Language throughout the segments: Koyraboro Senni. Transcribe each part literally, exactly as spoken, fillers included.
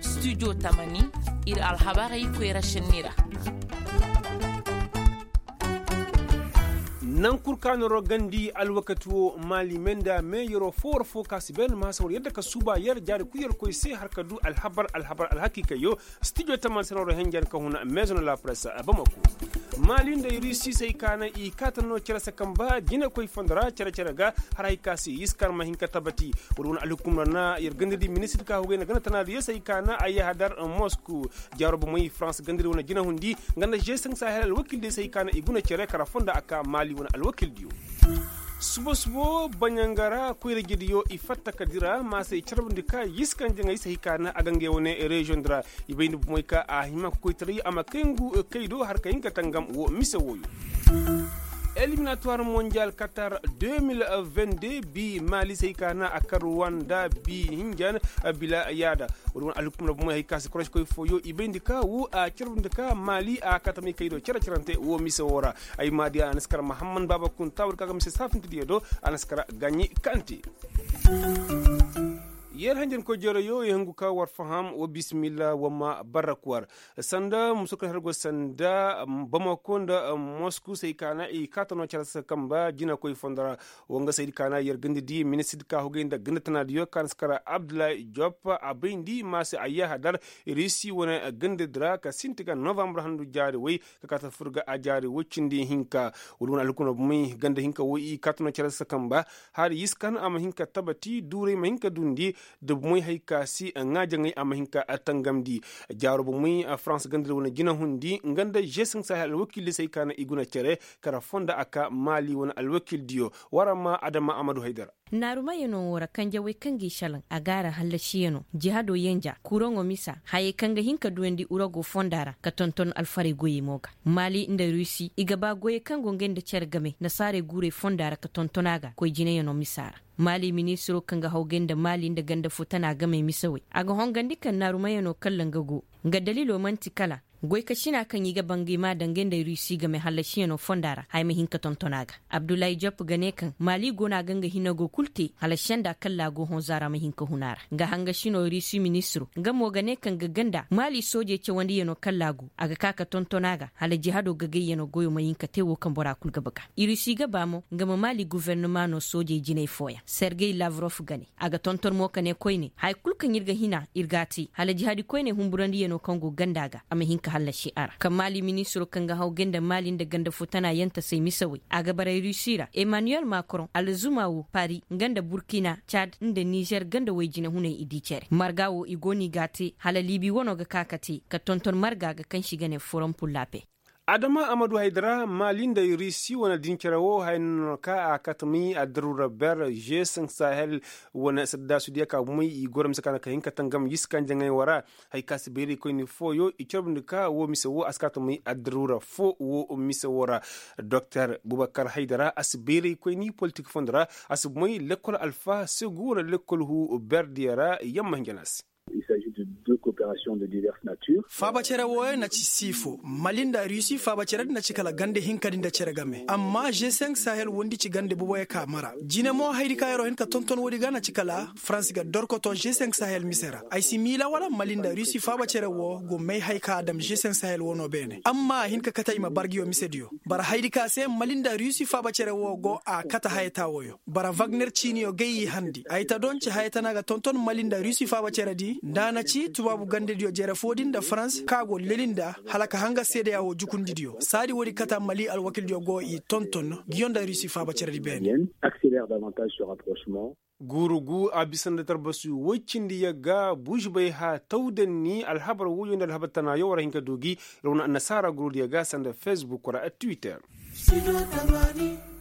Studio tamani ir alhabarey koyra šenni ra. Naŋ kul ka na rogandi alwakati wo maali me nda me yeroo foo war foo ka si bay na ma hasa war yadda ka suuba yer jaari kul yer koy se har ka du alhabar alhabar alhakiikayyo. Studio tamani se na war henjen ka huna meezo na la press bamako. Maali nda rusi se ay ka na i kaata no cere se kamba jinakoy fondo ra cere cere ga har hay ka se yiskan ma hin ka tabati. Wala wane alhukumra na yer gandadi ministir ka hugay nda ganda tanaadiyo se ay ka na a yahadar mosku. Jaaro bomey farans gandadi wane jinahundi nga nda g cinq sahel alwakildiyo se ay ka na i guna cere kara fonda a ka maali wane alwakildiyo. Subo subo baɲanga ra koyra jediyo i fatta ka dira ma se i carbundi ka yiskan jaŋay se ay ka na a ga ngey wane reziyoŋ di ra. I bayndi bomey ka a hima ka koytaray a ma kay ngu kay do har ka hin ka tangam wo mise wooyo. Eliminatuwar monjal katar deux mille vingt-deux bi maali se ay ka na a kar wanda bi hinjan bila yaada. Wala wane alhukumra bomey hay ka se koroskoy fooyo i bayndi ka wo a carbundi ka maali a katamay kay do cere cerante wo mise woo ra. Ay maadiya a na si kar mahamman baaba kunta war ka ga mise saafintidiyo do a na si kar gaɲi kante. Yer hanjankoy jeroyo i hangu ka war faham wa bisimilla wa ma barrak war. Sanda musokoy hargo sanda bamako nda mosku se ay ka na i kaata no care se kamba jinakoy fondo ra. Wanga se ay di ka na yer ganda di ministir di ka hugay nda ganda tanaadiyo ka na si kara abdullahi jop a bayndi ma se a yahadar rusi wane ganda di ra ka sinti ga novambar handu jaari way ka kaata fur ga a jaari woy cindi hinka. Wala wane alhukumra bomey ganda hinka wo i kaata no care se kamba hari yiskan a ma hin ka tabati duuray ma hin ka dundi. Da bomey hay ka si ŋaa jaŋay a ma hin ka tangamndi. Jaaro bomey farans ganda di wane jinahundi nga nda g cinq sahel alwakildi se ay ka na i guna cere kara fonda a ka maali wane alwakildiyo. War a ma adama amadu haydara. Naarumayano wo ra kanjawey kaŋ g'i šalaŋ a ga a ra hallasiyano jihado yenja kuraŋo misa hayey kaŋ ga hin ka duyandi urago fonda ra ka tonton alfarey goyey mo ga. Maali nda rusi i ga ba goyey kaŋ go ngey nda cere game nasaarey guurey fonda ra ka tonton a ga koy jinayano misa ra. Maali ministiro kaŋ ga hawgay nda maali nda ganda fo tana gamey misawey a ga hongandi kaŋ naarumayano kalla nga go. Nga dalilo man'ti kala goy ka sina kaŋ i ga bangay ma dangay nda rusi game hallasiyano fonda ra haya ma hin ka tonton a ga. Abdullahi jopp ga ne kaŋ maali go no a ga nga hinago kul te hala senda kalla go honza ra ma hin ka hun a ra nga hangasino rusi ministiro nga mo ga ne kaŋ ga ganda maali soojey cawandiyano kalla go a ga ka ka tonton a ga hala jihado gagayyano goyo ma hin ka te wo kaŋ bora kul ga baga. Rusi ga ba mo nga ma maali guvernama no soojey jinay fooyaŋ sergey lavrof ga ne. A ga tonton mo ka ne koyne haya kul kaŋ ir ga hina ir g'a te hala jihadi koyne humburandiyano kaŋ go ganda ga a ma hin ka hallasi a ra kaŋ maali ministiro kaŋ ga haw gay nda maali nda ganda fo tana yantasey misawey a ga baray rusi ra emmanuel macron alzuma wo pari nga nda burkina cad nda nizer ganda woy jinahuney i di cere marga wo i go no i g'a te hala libi wano ga ka ka te ka tonton marga ga kaŋ se i ga ne forom pur lape. Adama amadu haydara maali nda rusi wane dincere wo haya no ka a kate may addaruura ber g cinq sahel wane saddaasudiya ka bumey i goro mise ka na ka hin ka tangam yiskanjaŋey wo ra. Haya ka si bayraykoyni fooyo i carbundi ka wo mise wo a si ka tangam addaruura fo wo mise wo ra. Doktor bubakar haydara a si bayraykoyni politik fondo ra a si bumey lekkol alfa segu wane lekkol hu berdiya ra yamma hinja no a se. Faaba cere wooyo na ci siifo mali nda rusi faaba cere di na ci kala gande hinkadi nda cere game amma g cinq sahel wondi ci gande boboyo ka mara jine mo hayadi ka yer'o hin ka tonton woodi ga na ci kala faransi ga dorkoto g cinq sahel mise ra ay si miila wala mali nda rusi faaba cere woo go may hay ka a dam g cinq sahel woo no beene amma a hin ka kate ay ma bar nguyo misediyo. Bara hayadi ka se mali nda rusi faaba cere woo go a kate hayata wooyo bara vagner ciiniyo gay i handi ay ta donci haya tana ga tonton mali nda rusi faaba ceredi nda a na ci tubaabu gandediyo jere foodi nda farans ka go leli nda hala ka hanga seedeya wo jukundidiyo saadi woodi kata mali alwakildiyo go i tonton nguyo nda rusi faaba ceredi beene. Guuru gu a bisa nda tarbasu woy cindi yagga buužibay ha tawdanni alhabar woyo nda alhabar tanaayo war a hin ka du gi. Rawna annasaara gurudiyo ga sanda facebook ra twitter.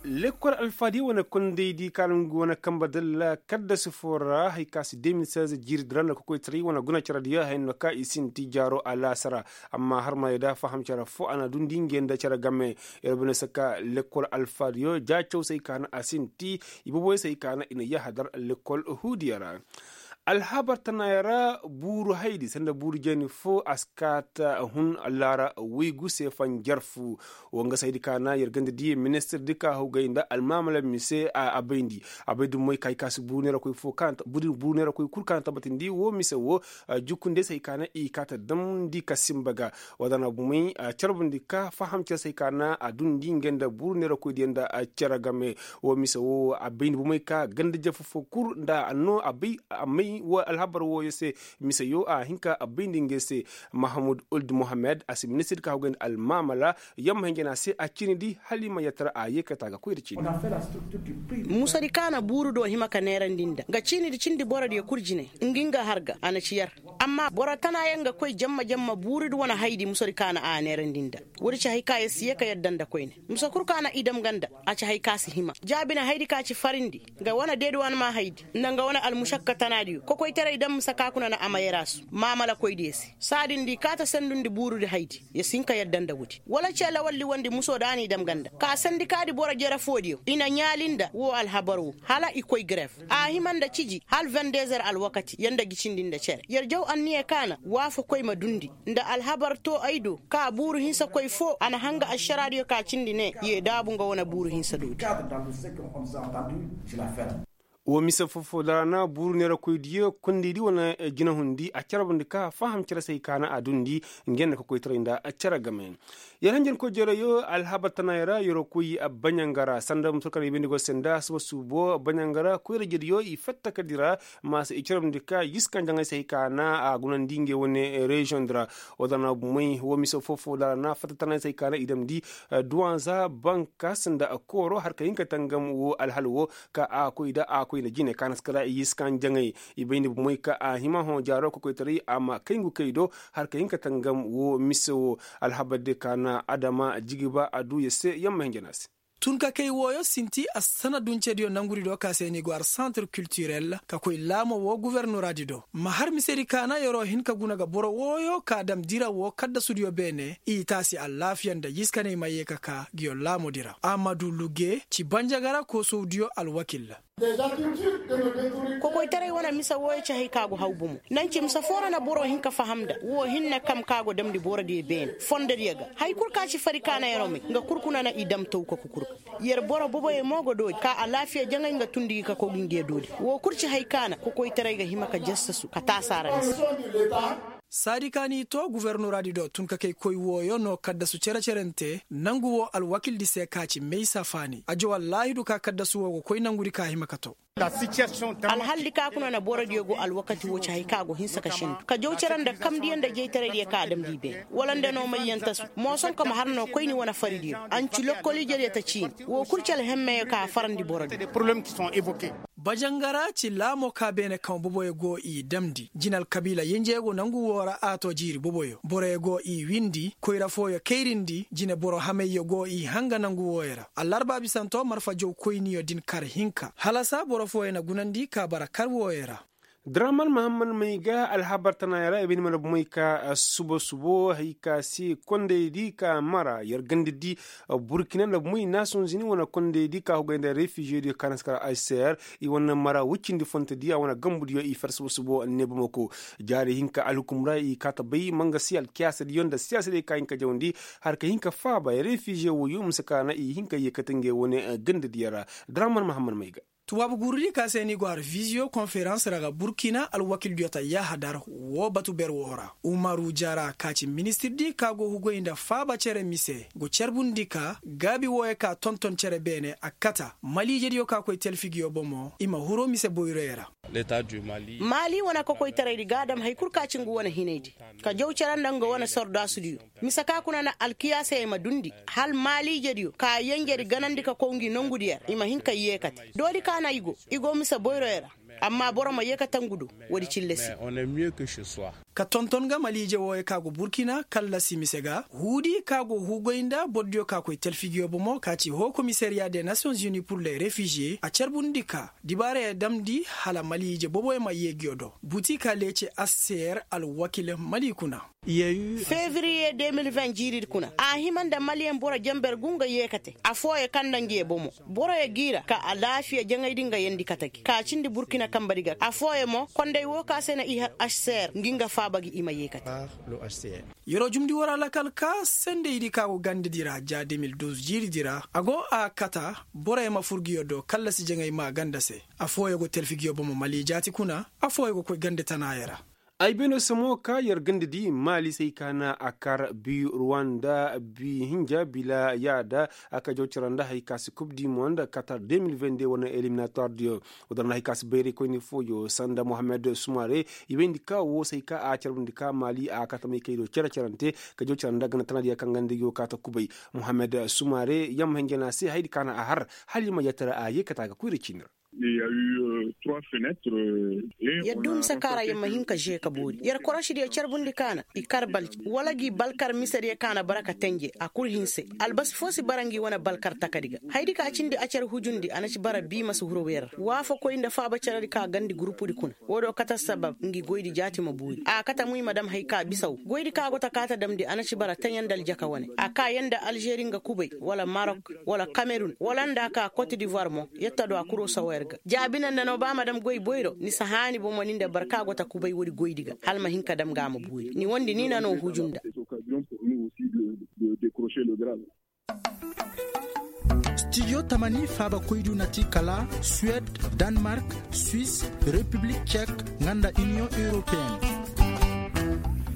Lekkol alfaadiyo wane kondaydi kaala ngu wane kambe dalla kaddasi fo ra hay ka si deux mille seize jiiridi ra nda kokoytaray wane guna cerediyo haya no ka i sinti jaaro alaasara. Amma harmayey da faham cere fo a na dundi ngey nda cere game. Yer bine se ka lekkol alfaadiyo ja cawsey ka na a sinti i boboyey se ay ka na i na yahadar lekkol huudiyo ra. Alhabar tanaayoo ra buuru haydi sanda buuru jeeni foo a si kaata hun laara waygu se fanjar fu. Woo nga se haydi ka na yer ganda diya ministirdi ka hawgay nda almaamala mise a bayndi. A bay dummey ka hay ka si buuru neerakoy foo buuru neerakoy kul ka na tabbatindi woo mise woo. Jukkunde se hay ka na i kaata damndi ka simba ga. Woo da na bumey carbundi ka faham cere se hay ka na a dundi ngey nda buuru neerakoy diya nda cere game. Woo mise woo a bayndi bumey ka ganda jafa foo kul nda a noo a bay a may woo alhabar wooyo se. Mise yoo a hin ka a bayndi ngey se. Mahamud uld mohammed a si ministir ka hawgay nda almaamala. Yamma hinjana se a ciini di hala i ma yatara a yeekata ga koy nda ciini. Musadi ka na buuru do hima ka neerandi nda nga ciini di cindi borodiyo kul jine. Ngi nga har ga a na ci yar. Amma boro tanaayaŋ ga koy jamma jamma buuru di wane haydi musadi ka na a neerandi nda. Woodi ci hay ka yer si yee ka yadda nda koyne. Musa kul ka na i dam ga nda a ci hay ka si hima jaabi na haydi ka ci farindi. Nga wane deeduwanma haydi nda nga wane almušakka tanaadiyo kokoytaray dam musa ka kuna na a ma yer a su maamalakoydiyo se. Saadin da i kaata sandundi buurudi haydi. Yer si hin ka yadda nda woodi wala cee lawaldi wondi musoo da a n'i dam ga nda ka sandi ka di boro jere foodiyo i na ɲaali nda woo alhabar woo hala i koy gref. A hima nda ciji hala vendezer alwakati yer nda gicindi nda cere yer jaw anniya ka na waafakoy ma dundi. Nda alhabar too ay do ka buuru hinsa koy foo a na hanga ašaraadiyo ka cindi ne yee daabu nga wane buuru hinsa doodi. Woo mise foo-foo da ra na buuru neerakoydiyo kondaydi wane jinahundi a carbundi ka faham cere se hay ka na a dundi. Ngey nda ka koytaray nda cere game. Yer hanjankoy jereyoo alhabar tanaayoo ra yeroo koy baɲangara sanda musa kar i bayndi go se nda suba subo baɲangara koyra-ijediyo i fatta ka dira. Ma se i carbundi ka yiskan jaŋay se hay ka na a gunandi ngey wane reziyoŋ di ra. Woo da na bumey woo mise foo-foo da ra na fatta tanaayoo se hay ka na i damndi. Duwanza bankas nda kooro har ka hin ka tangam woo alhal woo ka a koy da a koy nda jine ka na si kara i yiskan jaŋay. I bay nda bumey ka a hima hõ jaaroo kokoytaray a ma kay ngu kay do har ka hin ka tangam woo mise woo. Alhabar diyo ka na adama jigiba a duu yer se yamma hinja na a se. Tun ka kay wooyo sinti a sana duncediyo nangudi do ka se ni go ar santir kiltirel ka koy laamo woo guvernoraadi do ma har misedi ka na yeroo hin ka guna ga boro wooyo ka dam dira woo kaddasudiyo beene i taasi alaafiya nda yiskaney ma yee ka ka ngiyo laamodi ra amadu luge ci banjagara koosowdiyo alwakil. Kokoytaray wane mise wooyo ci hay ka go haw bomo nanci mise foo ra na boro hin ka faham nda woo hinne kam ka go damndi borodiyo beene fondodiyo ga. Hay kul ka ci fari ka na yeroo may nga kul kuna na i dam taw ka kukur ga. Yer boro boboyo mo go doodi ka alaafiya jaŋay nga tundi gi ka kow gi ngiyo doodi. Woo kul ci hay ka na kokoytaray ga hima ka jassasu ka taasa ra mise. Saadi ka n'i too guvernoraadi do tun ka kay koy wooyo no kaddasu cere-cerente nangu woo alwakildi se ka ci maysa faani a jaw allaahidu ka kaddasu woo go koy nangudi ka hima ka too. Alhaldi ka kuna na borodiyo go alwakati woo ci hay ka go hinsa ka sendu ka jaw cere nda kamdiyo nda jaytaraydiyo ka a damndi i beene wala nda no mayyantasu. Moosonka ma har no koyni wane faridiyo a nci lokkoliijediyo ta ciini woo kul ci alhemmeyo ka a farandi borodiyo. Bajangara ci laamo ka beene kaŋ boboyo go i damndi jine alkabiila yenjeyo go nangu woo ra a too jiiri boboyo boroyo go i windi koyra fooyo kayrindi jine boro hamayyo go i hanga nangu wooyo ra. Allarba bisanto marfa jaw koyniyo din kar hinka halasa boro fooyo na gunandi ka bara kar wooyo ra. Draman mahammad may ga alhabar tanaayoo ra i bay ni mana bumey ka suba subo hay ka se kondaydi ka mara yer gandadi. Burkina nda bumey naasonzini wane kondaydi ka hugay nda refiziyediyo ka na si kar aser i wane mara wuccindi fontodiyo a wane gambudiyo i fer suba subo ne bamako. Jaari hinka alhukum ra i kaata bay mangasi alkiyaasadiyo nda siyaasadiyo ka hinka jawandi har ka hinka faaba refiziye woyo mise ka na i hinka yeekate ngey wane gandadiyo ra. Draman mahammad may ga. Tubaabu guurudi ka se ni go har viziyo konferans ra ga burkina alwakildiyo ta yahadar woo batu ber woo ra umaru jara ka ci ministirdi ka go hugay nda faaba cere mise go carbundi ka gaabi wooyo ka tonton cere beene a kata maliijediyo ka koy telfi ngiyo bomo i ma huru mise boyroyo ra. Maali wane kokoytaraydi ga a dam hay kul ka ci ngu wane hinaydi ka jaw cere nda nga wane sordaasudiyo. Mise ka kuna na alkiyaasey ma dundi hala maaliijediyo ka yenjedi ganandi ka kow ngi nongudiyo ra i ma hin ka yeekate doodi ka na i go i go mise boyroyo ra. Amma boro ma yeekate ngu do woodi cille se. Ka tonton ga maliije wooyo ka go burkina kallasi mise ga huudi ka go huugoy nda bordiyo ka koy telfi ngiyo bomo ka ci hoo komisariya de nasiyonzuni pur le refiziye a carbundi ka dibaarayo damndi hala maliije boboyo ma yee ngiyo do buti ka leece aseer alwakil mali kuna. Fevriye de mil ven jiiridi kuna a hima nda maliyeŋ boro jenber gu nga yeekate afooyo kaŋ nda ngiyo bomo boroyo g'i ra ka alaafiya jaŋaydi nga yeendi kate gi ka cindi burkina. Kambadi ga afooyaŋ mo konday woo ka se na i har ašseer ngi nga faaba gi i ma yeekate. Yeroo jumndi war alakal ka sendaydi ka go gandadi ra ja de mil duuz jiiridi ra a go a kata. Boroyaŋ ma fur ngiyo do kallasi jaŋay maa ganda se. Afooyaŋ go telfi ngiyo bomo mali jaati kuna. Afooyaŋ go koy ganda tanaaya ra. Ay beenoo se mo ka yer gandadi maali se ay ka na a kar bi ruwanda bi hinja bila yaada. A ka jaw cara nda hay ka si kub di mo nda katar de mil vende wane eliminator diyo. Woo da ra nda hay ka si bayray koyni fooyo sanda mohammed sumare. I bayndi ka woo se ay ka a carbundi ka maali a katamay kay do cere-cerante ka jaw cara nda ganda tana diya kaŋ ganda yo kaata kubay. Mohammed sumare yamma hinja na se haydi ka na a har hala i ma yatara a yee kata ga koyra ciini ra. Yer duu mise kaara yer ma hin ka žee ka boori yer korošidiyo carbundi kaana i kar balji wala gi balkar misediyo kaana bara ka tenje a kul hinse. Albasi foo si bara ngi wane balkar takadi ga haydi ka cindi a car hujundi a na ci bara bii ma si huru wer ra waafakoy nda faaba caradi ka gandi gurupudi kuna. Woo do kate sabab ngi goydi jaati ma boori a kate muy ma dam hay ka bisaw goydi ka go ta kaa ta damndi a na ci bara teɲe nda aljaka wane a kaa yer nda alžeri nga kubay wala marok wala kamerun wala nda a kaa kot divoir mo. Yetta do a kuroo sawa yer ga jaabi na nda no ba ma dam goy boyro ni si haani bomo ni nda boro ka go ta kubay woodi goydi ga hala ma hin ka dam ga a ma boori ni wondi ni na no huju nda. Stijo tamani faabakoydu na ti kala suwed, danmark, suis, repiblik cek, nga nda iniyoŋ europeen.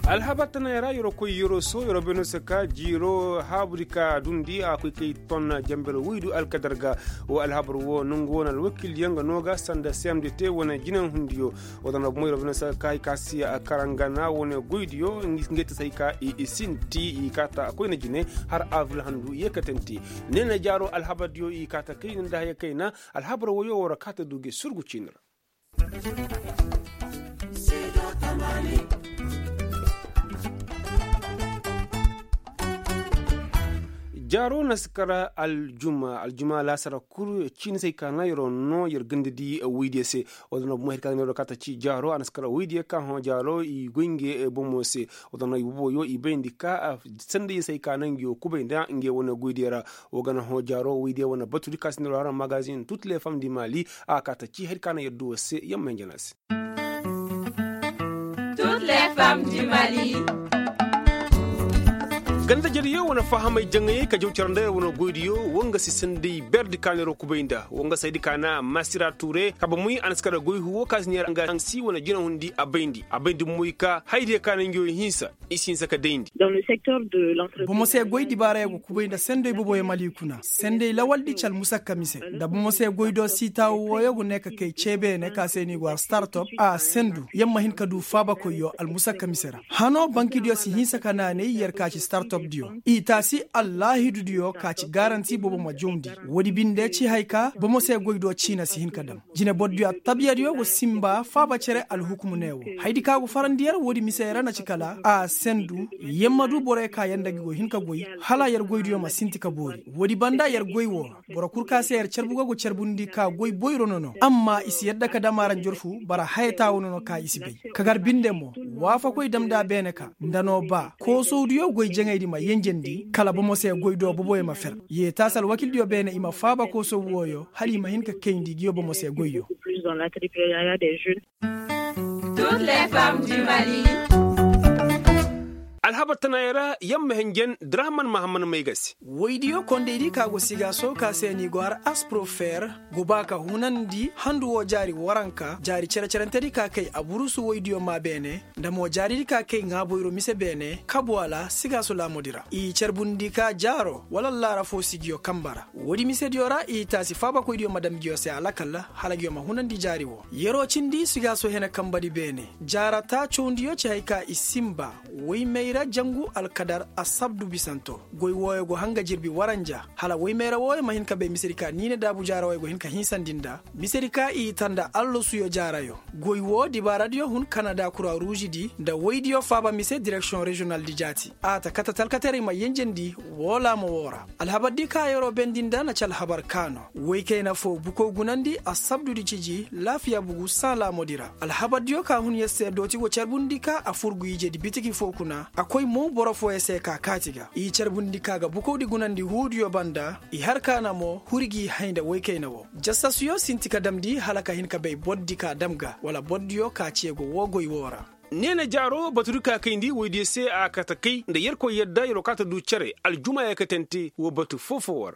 Alhabar tanay ra yeroo koy yeroo soo yeroo beenoo se ka jiiroo haabudi ka dundi a koy kay ton jambel woydu alkadar ga. Woo alhabar woo nongu woo na alwakildiyo nga noo ga sanda cmdt wane jinahundiyo. Woo da na bumo yeroo beenoo se ka hay ka si karangana wane goydiyo ngey ti se hay ka i sinti i kaata koyna jine har avril handu yeekatante. Ne na jaaroo alhabardiyo i kaata kayna nda haya kayna. Alhabar woyoo woo ra kaata du ge surgu ciini ra. Jaaro na si kar aljuma aljuma laasara kul ciini se ay ka na yeroo noo yer ganda di woydiyo se. Woo da noo bomo hay ka na yeroo kaata ci jaaro a na si kar woydiyo ka hõ jaaro i goy nge bomo se. Woo da noo i boboyo i bayndi ka sendayyo se ay ka na ngiyo kubay nda nge wane goydiyo ra. Woo ga na hõ jaaro woydiyo wane batudi ka si na yeroo hara magazin tut le fam di mali. A kaata ci hay ka na yer du woo se yamma hinja na se. Ganda jariyo wane fahamay jaŋayey ka jaw cara nda yer wane goydiyo woo nga si sanday berdi ka na yeroo kubay nda woo nga saydi ka na masira ture kabe muy a na si kara goy huwo ka si neera nga si wane jinahundi a bayndi a bayndi moy ka haydiyo ka na ngiyo hinsa. I si hinsa ka dayndi. Bomo se goy dibaarayo go kubay nda senday boboyo mali kuna senday lawaldi ci almusakka mise nda bomo se goy do siitaawo wooyo go ne ka kay cee beene ka se ni go har startop a sendu yer ma hin ka du faabakoyyo almusakka mise ra. Hanoo bankidiyo si hinsa ka naanay yer ka ci startopdiyo i taasi allaahidudiyo ka ci garanti bobo ma jawndi. Woodi binde ci hay ka bomo se goy do ciina si hin ka dam. Jinebordiyo attabiyadiyo go sinba faaba cere alhukumu ne wo. Haydi ka go farandi yer woodi mise ra na ci kala a sendu yer ma du boroyo ka yer nda gi go hin ka goy hala yer goydiyo ma sinti ka boori. Woodi banda yer goy wo boro kul ka se yer carbu ga go carbundi ka goy boyro nono amma i si yadda ka dam aranjorfu bara hayata wo nono ka i si bay. Ka gar binde mo waafakoy dam nda a beene ka nda no ba koosowdiyo goy jaŋaydi ma yenjendi kala bomo se goy do boboyo ma fer. Yee taasi alwakildiyo beene i ma faaba koosow wooyo hala i ma hin ka kayndi ngiyo bomo se goyyo. Alhabar tanaayey ra yamma hinjen drahaman mahamman may ga se. Woydiyo kondaydi ka go sigaaso ka se ni go har asprofer go ba ka hunandi handu woo jaari waranka jaari cere-cerentedi ka kay aburusu woydiyo maa beene nda mo jaaridi ka kay ŋaaboyro mise beene kabu ala sigaaso laamudi ra i carbundi ka jaaro wala allaara foo sigiyo kamba ra. Woodi misediyo ra i taasi faabakoydiyo ma dam ngiyo se alakal hala ngiyo ma hunandi jaari woo. Yer'o cindi sigaaso hene kambadi beene. Jaara taacowndiyo ci hay ka i sinba woymayra jangu alkadar asabdu bisanto. Goy wooyo go hanga jirbi waranja hala woymayra wooyo ma hin ka bay misedi ka niine daabu jaara wooyo go hin ka hinsandi nda misedi ka i ta nda allasuyo jaarayo. Goy woo dibaaradiyo hun kanada kura ruuzidi nda woydiyo faaba mise direksiyoŋ reziyonaldi jaati. A ta kate talkateray ma yenjendi woo laamo woo ra. Alhabardi ka yer'o bendi nda na ci alhabar ka no. Woy kayna foo bukow gunandi asabdudi ciji laafiya bugu saalamodi ra. Alhabardiyo ka hun yer se dooti go carbundi ka a fur ngu ijedi bitiki foo kuna. A koy mo boro fooyaŋ se ka kaati ga i carbundi ka ga bukawdi gunandi huudiyo banda. I har kaana mo huri g'i hay nda woykayna wo jasasuyo sinti ka damndi hala ka hin ka bay bordi ka dam ga wala bordiyo ka ceego woo goy woo ra. Neena jaaro batudi ka kayndi woydiyo se a kate kay nda yerkoy yadda yer wo kaŋ a ta du cere aljuma yaakatante woo batu foo-foo ra.